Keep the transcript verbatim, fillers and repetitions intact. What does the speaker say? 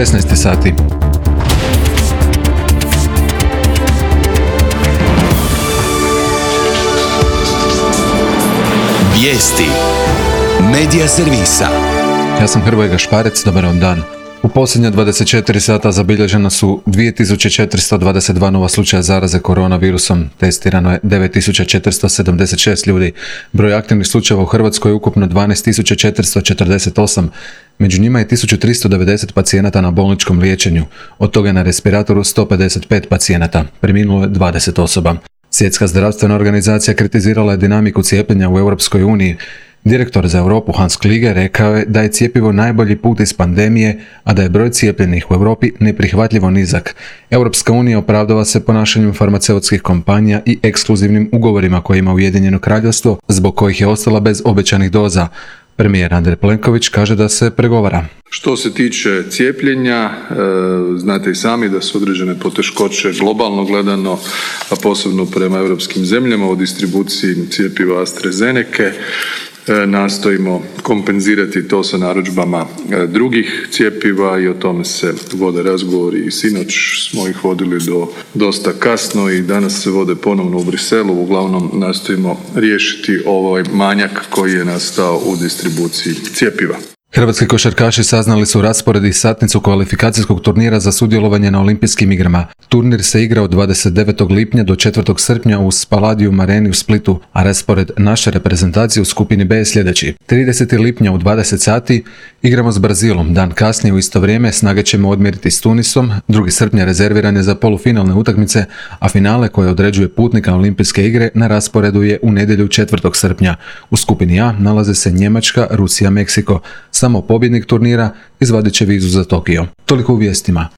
šesnaest sati. Vijesti Medija servisa. Ja sam Hrvoje Gašparec, dobar vam dan. U posljednja dvadeset četiri sata zabilježena su dvije tisuće četiristo dvadeset dva nova slučaja zaraze koronavirusom. Testirano je devet tisuća četiristo sedamdeset šest ljudi. Broj aktivnih slučajeva u Hrvatskoj je ukupno dvanaest tisuća četiristo četrdeset osam. Među njima je tisuću tristo devedeset pacijenata na bolničkom liječenju. Od toga je na respiratoru sto pedeset pet pacijenata. Preminulo je dvadeset osoba. Svjetska zdravstvena organizacija kritizirala je dinamiku cijepljenja u Europskoj uniji. Direktor za Europu Hans Kluge rekao je da je cjepivo najbolji put iz pandemije, a da je broj cijepljenih u Europi neprihvatljivo nizak. Europska unija opravdava se ponašanjem farmaceutskih kompanija i ekskluzivnim ugovorima koje ima Ujedinjeno Kraljevstvo, zbog kojih je ostala bez obećanih doza. Premijer Andrej Plenković kaže da se pregovara. Što se tiče cijepljenja, znate i sami da su određene poteškoće globalno gledano, a posebno prema europskim zemljama u distribuciji cjepiva AstraZenece. Nastojimo kompenzirati to sa narudžbama drugih cjepiva i o tome se vode razgovori i sinoć smo ih vodili do dosta kasno i danas se vode ponovno u Briselu. Uglavnom nastojimo riješiti ovaj manjak koji je nastao u distribuciji cjepiva. Hrvatski košarkaši saznali su raspored i satnicu kvalifikacijskog turnira za sudjelovanje na Olimpijskim igrama. Turnir se igra od dvadeset devetog lipnja do četvrtog srpnja u Spaladium Areni u Splitu, a raspored naše reprezentacije u skupini B je sljedeći. tridesetog lipnja u dvadeset sati igramo s Brazilom, dan kasnije u isto vrijeme snage ćemo odmjeriti s Tunisom, drugi srpnja rezerviran je za polufinalne utakmice, a finale koje određuje putnika Olimpijske igre na rasporedu je u nedjelju četvrtog srpnja. U skupini A nalaze se Njemačka, Rusija, Meksiko. Samo pobjednik turnira izvadit će vizu za Tokio. Toliko u vijestima.